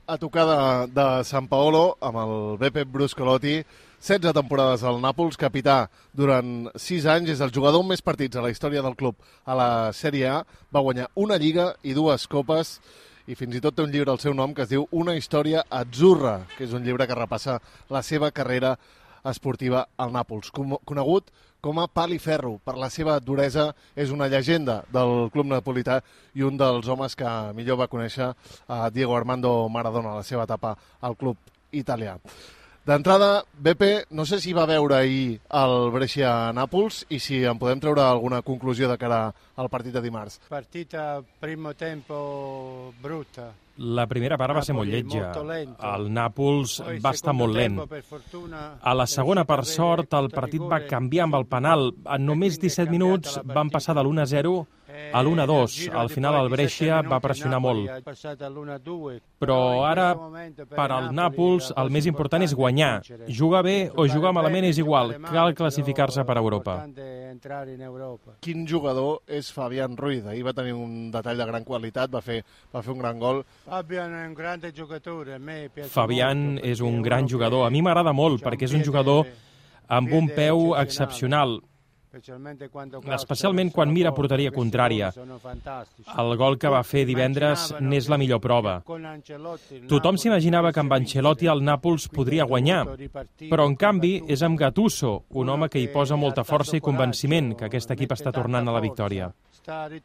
a tocar de Sant Paolo amb el Beppe Bruscolotti. 16 temporades al Nàpols, capità durant 6 anys, és el jugador amb més partits a la història del club a la Sèrie A. Va guanyar una Lliga i 2 copes i fins i tot té un llibre al seu nom que es diu Una història azzurra, que és un llibre que repassa la seva carrera esportiva al Nàpols. Conegut com a pal i ferro, per la seva duresa, és una llegenda del club napolità i un dels homes que millor va conèixer a Diego Armando Maradona a la seva etapa al club italià. D'entrada, Beppe, no sé si va veure ahir el Brescia-Nàpols i si en podem treure alguna conclusió de cara al partit de dimarts. Partita primo tempo brutta. La primera part va ser molt lletja. El Nàpols va estar molt lent. A la segona, per sort, el partit va canviar amb el penal. En només 17 minuts van passar de l'1-0 a l'1-2. Al final el Brescia va pressionar molt. Però ara, per al Nàpols, el més important és guanyar. Jugar bé o jugar malament és igual. Cal classificar-se per Europa. Quin jugador és Fabián Ruiz? Ahir va tenir un detall de gran qualitat, va fer un gran gol. Fabián és un gran jugador. A mi m'agrada molt perquè és un jugador amb un peu excepcional, especialment quan mira porteria contrària. El gol que va fer divendres n'és la millor prova. Tothom s'imaginava que amb Ancelotti el Nàpols podria guanyar, però en canvi és amb Gattuso, un home que hi posa molta força i convenciment que aquest equip està tornant a la victòria. Ara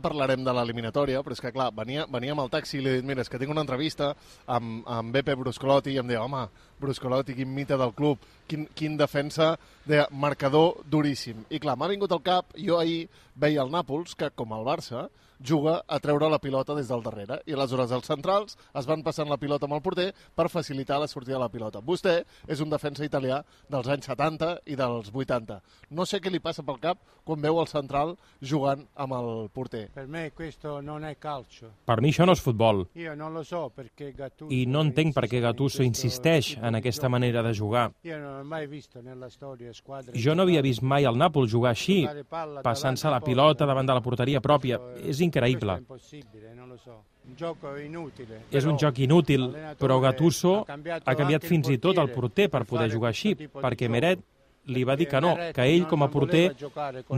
parlarem de l'eliminatòria, però és que clar, venia amb el taxi i li he dit, mira, és que tinc una entrevista amb Beppe Bruscolotti i em deia, home, Bruscolotti, quin mite del club, quin defensa de marcador duríssim. I clar, m'ha vingut al cap, jo ahir veia el Nàpols, que com el Barça, juga a treure la pilota des del darrere i aleshores els centrals es van passant la pilota amb el porter per facilitar la sortida de la pilota. Vostè és un defensa italià dels anys 70 i dels 80. No sé què li passa pel cap quan veu el central jugant amb el porter. Per mi questo non è calcio. Per mi això no és futbol. Io non lo so perché Gattuso. I no entenc per què Gattuso insisteix en aquesta manera de jugar. Jo no havia vist mai el Nàpols jugar així, passant-se la pilota davant de la porteria pròpia. És increïble. És un joc inútil, però Gattuso ha canviat fins i tot el porter per poder jugar així, perquè Meret li va dir que no, que ell com a porter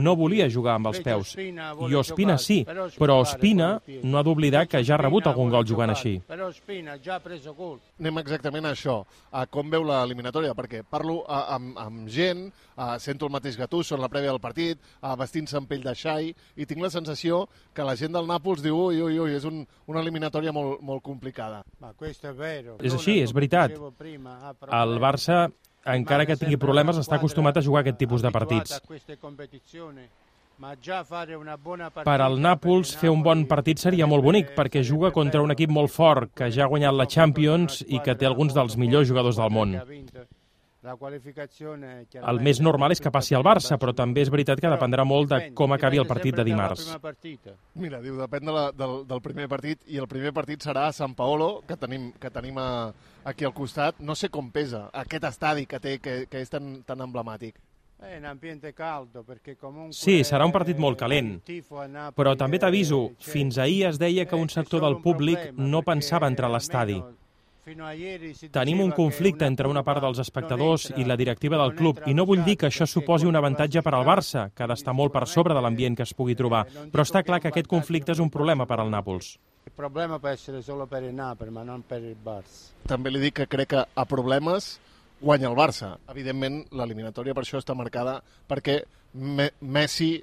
no volia jugar amb els peus. I Ospina sí, però Ospina no ha d'oblidar que ja ha rebut algun gol jugant així. Anem exactament a això, a com veu l'eliminatòria, perquè parlo amb gent, sento el mateix Gattuso en la prèvia del partit, vestint-se amb pell de xai, i tinc la sensació que la gent del Nàpols diu ui, és una eliminatòria molt complicada. És així, és veritat. El Barça, encara que tingui problemes, està acostumat a jugar aquest tipus de partits. Per al Nàpols, fer un bon partit seria molt bonic, perquè juga contra un equip molt fort, que ja ha guanyat la Champions i que té alguns dels millors jugadors del món. El més normal és que passi al Barça, però també és veritat que dependrà molt de com acabi el partit de dimarts. Mira, diu, depèn del primer partit, i el primer partit serà a Sant Paolo, que tenim aquí al costat. No sé com pesa aquest estadi que té, que és tan emblemàtic. Sí, serà un partit molt calent, però també t'aviso, fins ahir es deia que un sector del públic no pensava entrar a l'estadi. Tenim un conflicte entre una part dels espectadors i la directiva del club, i no vull dir que això suposi un avantatge per al Barça, que ha d'estar molt per sobre de l'ambient que es pugui trobar, però està clar que aquest conflicte és un problema per al Nàpols. També li dic que crec que a problemes guanya el Barça. Evidentment, l'eliminatòria per això està marcada perquè Messi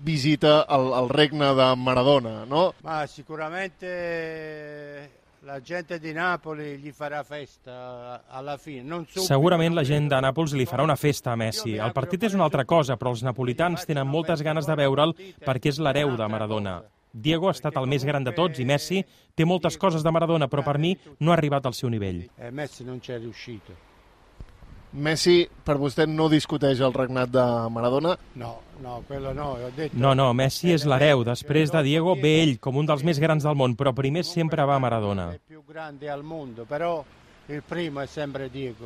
visita el regne de Maradona, no? Sicuramente la gente di Napoli gli farà festa alla fine. Segurament la gent de Nàpols li farà una festa a Messi. El partit és una altra cosa, però els napolitans tenen moltes ganes de veure'l perquè és l'hereu de Maradona. Diego ha estat el més gran de tots i Messi té moltes coses de Maradona, però per mi no ha arribat al seu nivell. Messi non ci è riuscito. Messi, per vostè, no discuteix el regnat de Maradona? No, quello no, ho detto. No, Messi és l'hereu. Després de Diego ve ell, com un dels més grans del món, però primer sempre va Maradona. È più grande al mondo, però il primo è sempre Diego.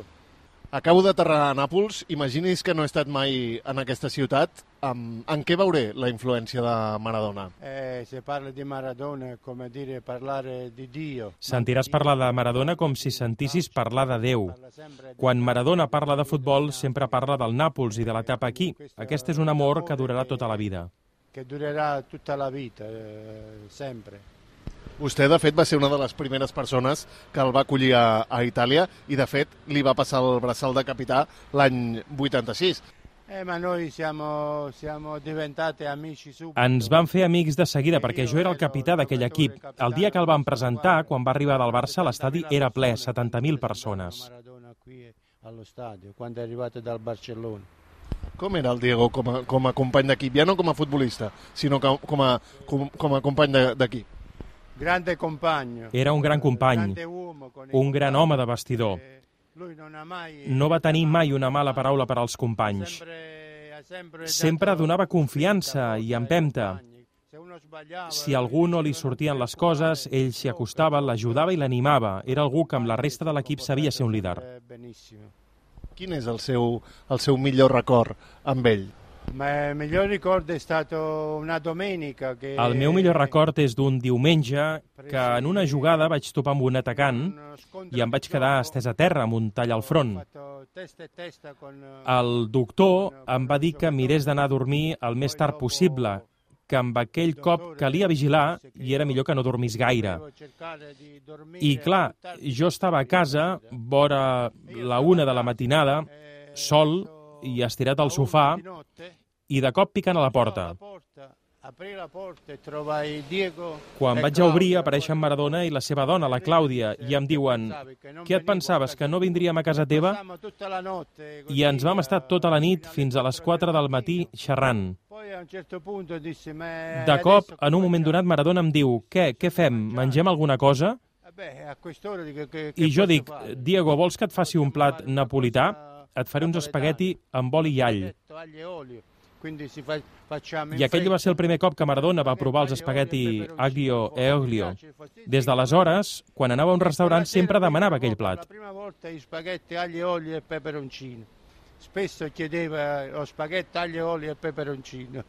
Acabo d'aterrar a Nàpols, imagini's que no he estat mai en aquesta ciutat. En què veuré la influència de Maradona? Se parla di Maradona, come dire parlare di Dio. Sentiràs parlar de Maradona com si sentissis parlar de Déu. Quan Maradona parla de futbol, sempre parla del Nàpols i de l'etapa aquí. Aquest és un amor que durarà tota la vida. Que durarà tutta la vita, sempre. Vostè, de fet, va ser una de les primeres persones que el va acollir a Itàlia i, de fet, li va passar el braçal de capità l'any 86. Ma noi siamo diventati amici subito. Ens vam fer amics de seguida perquè jo era el capità d'aquell equip. El dia que el vam presentar, quan va arribar del Barça, l'estadi era ple, 70.000 persones. Maradona qui allo stadio, quando è arrivato dal Barcellona. Com era el Diego com a company d'equip? Ja no com a futbolista, sinó com a company d'equip. Grande compagno. Era un gran company, un gran home de vestidor. No va tenir mai una mala paraula per als companys. Sempre donava confiança i empenta. Si a algú no li sortien les coses, ell s'hi acostava, l'ajudava i l'animava. Era algú que amb la resta de l'equip sabia ser un líder. Quin és el seu millor record amb ell? Il miglior ricordo è stato una domenica che... El meu millor record és d'un diumenge que en una jugada vaig topar amb un atacant i em vaig quedar estès a terra amb un tall al front. El doctor em va dir que mirés d'anar a dormir el més tard possible, que amb aquell cop calia vigilar i era millor que no dormís gaire. I clar, jo estava a casa, vora la 1 de la matinada, sol i estirat al sofà, i de cop piquen a la porta. Quan vaig a obrir, apareixen Maradona i la seva dona, la Clàudia, i em diuen: «Què et pensaves, que no vindríem a casa teva?» I ens vam estar tota la nit fins a les 4 del matí xerrant. De cop, en un moment donat, Maradona em diu: «Què fem? Mengem alguna cosa?» I jo dic: «Diego, vols que et faci un plat napolità? Et faré uns espagueti amb oli i all». I aquell va ser el primer cop que Maradona va provar els espagueti aglio e olio. Des d'aleshores, quan anava a un restaurant, sempre demanava aquell plat. La prima volta gli spaghetti aglio, olio e peperoncino. Spesso chiedeva lo spaghetti aglio, olio e peperoncino.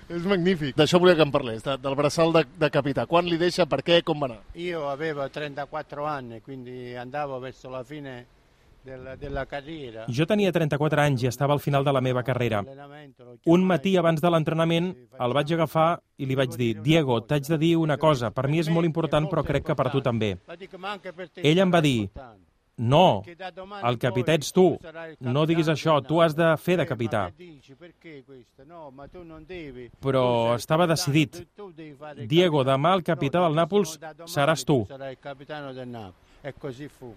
És magnífic. D'això volia que em parlés, del braçal de capità. Quan li deixa, per què, com va anar? Io avevo 34 anni, quindi andavo verso la fine della carriera. Jo tenia 34 anys i estava al final de la meva carrera. Un matí abans de l'entrenament el vaig agafar i li vaig dir: «Diego, t'haig de dir una cosa, per mi és molt important però crec que per tu també». Ell em va dir: «No, el capità ets tu, no diguis això, tu has de fer de capità». Però estava decidit. «Diego, demà el capità del Nàpols seràs tu». E così fu.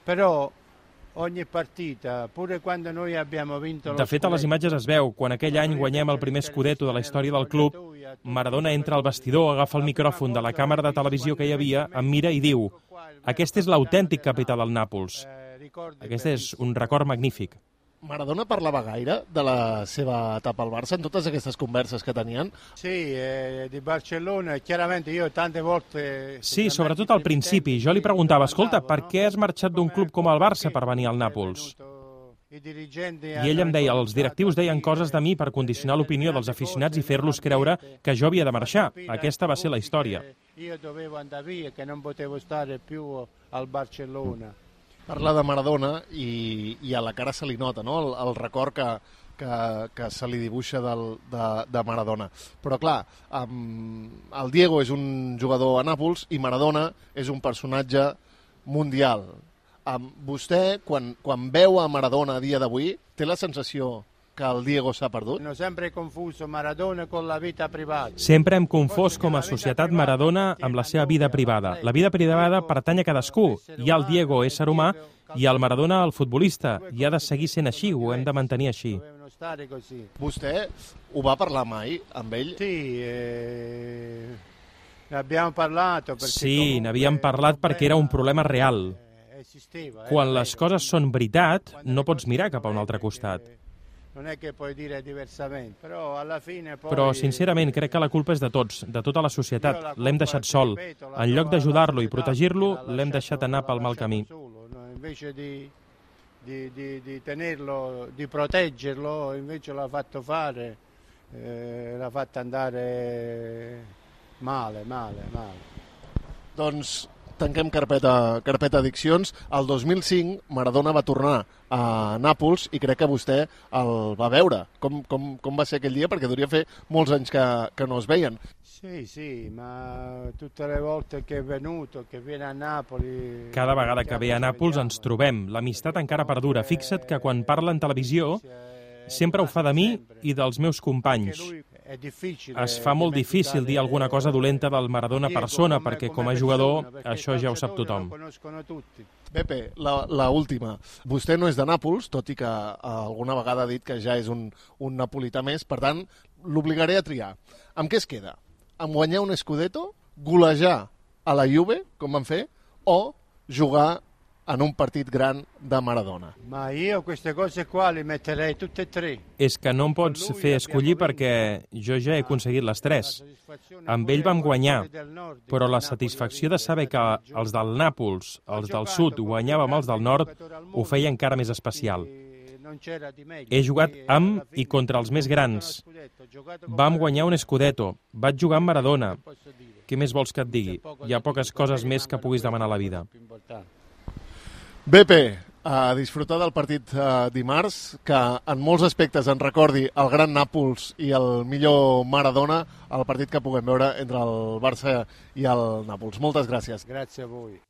Però ogni partita, pure quando noi abbiamo vinto De fet, a les imatges es veu, quan aquell any guanyem el primer scudetto de la història del club, Maradona entra al vestidor, agafa el micròfon de la càmera de televisió que hi havia, em mira i diu: «Aquest és l'autèntic capità del Nàpols». Aquest és un record magnífic. Maradona parlava gaire de la seva etapa al Barça en totes aquestes converses que tenien? Sí, di Barcellona, chiaramente io tante volte... Sí, sobretot al principi. Jo li preguntava: «Escolta, per què has marxat d'un club com el Barça per venir al Nàpols?» I ell em deia: «Els directius deien coses de mi per condicionar l'opinió dels aficionats i fer-los creure que jo havia de marxar. Aquesta va ser la història». Io dovevo andare via, che non potevo stare più al Barcellona. Parla de Maradona i a la cara se li nota, no?, el record que se li dibuixa de Maradona. Però clar, el Diego és un jugador a Nàpols i Maradona és un personatge mundial. Vostè, quan veu a Maradona a dia d'avui, té la sensació que el Diego s'ha perdut? Hanno sempre confuso Maradona con la vita privata. Sempre hem confós com a societat Maradona amb la seva vida privada. La vida privada pertany a cadascú. Hi ha el Diego, ésser humà, i el Maradona, el futbolista. I ha de seguir sent així, ho hem de mantenir així. Vostè ho va parlar mai amb ell? Sí, n'abbiamo parlato. Sí, n'havíem parlat perquè era un problema real. Quan les coses són veritat, no pots mirar cap a un altre costat. Però, sincerament, crec que la culpa és de tots, de tota la societat. L'hem deixat sol. En lloc d'ajudar-lo i protegir-lo, l'hem deixat anar pel mal camí. invece di tenerlo, di proteggerlo, invece l'ha fatto fare, l'ha fatto andare male. Doncs tanquem carpeta addiccions. El 2005 Maradona va tornar a Nàpols i crec que vostè el va veure. Com va ser aquell dia? Perquè devia fer molts anys que no es veien. Sì, ma tutte le volte che è venuto, che viene a Napoli... Cada vegada que ve a Nàpols ens trobem. L'amistat encara perdura. Fixa't que quan parla en televisió sempre ho fa de mi i dels meus companys. Es fa molt difícil dir alguna cosa dolenta del Maradona persona, perquè com a jugador això ja ho sap tothom. Pepe, la última. Vostè no és de Nàpols, tot i que alguna vegada ha dit que ja és un napolità més, per tant, l'obligaré a triar. Amb què es queda? Amb guanyar un Scudetto, golejar a la Juve, com van fer, o jugar en un partit gran de Maradona? Ma io queste cose qua le metterei tutte e tre. És que no em pots fer escollir perquè jo ja he aconseguit les tres. Amb ell vam guanyar, però la satisfacció de saber que els del Nàpols, els del sud, guanyàvem els del nord, ho feia encara més especial. He jugat amb i contra els més grans. Vam guanyar un Scudetto. Vaig jugar amb Maradona. Què més vols que et digui? Hi ha poques coses més que puguis demanar a la vida. Beppe, a disfrutar del partit dimarts, que en molts aspectes ens recordi el gran Nàpols i el millor Maradona, el partit que puguem veure entre el Barça i el Nàpols. Moltes gràcies. Gràcies a voi.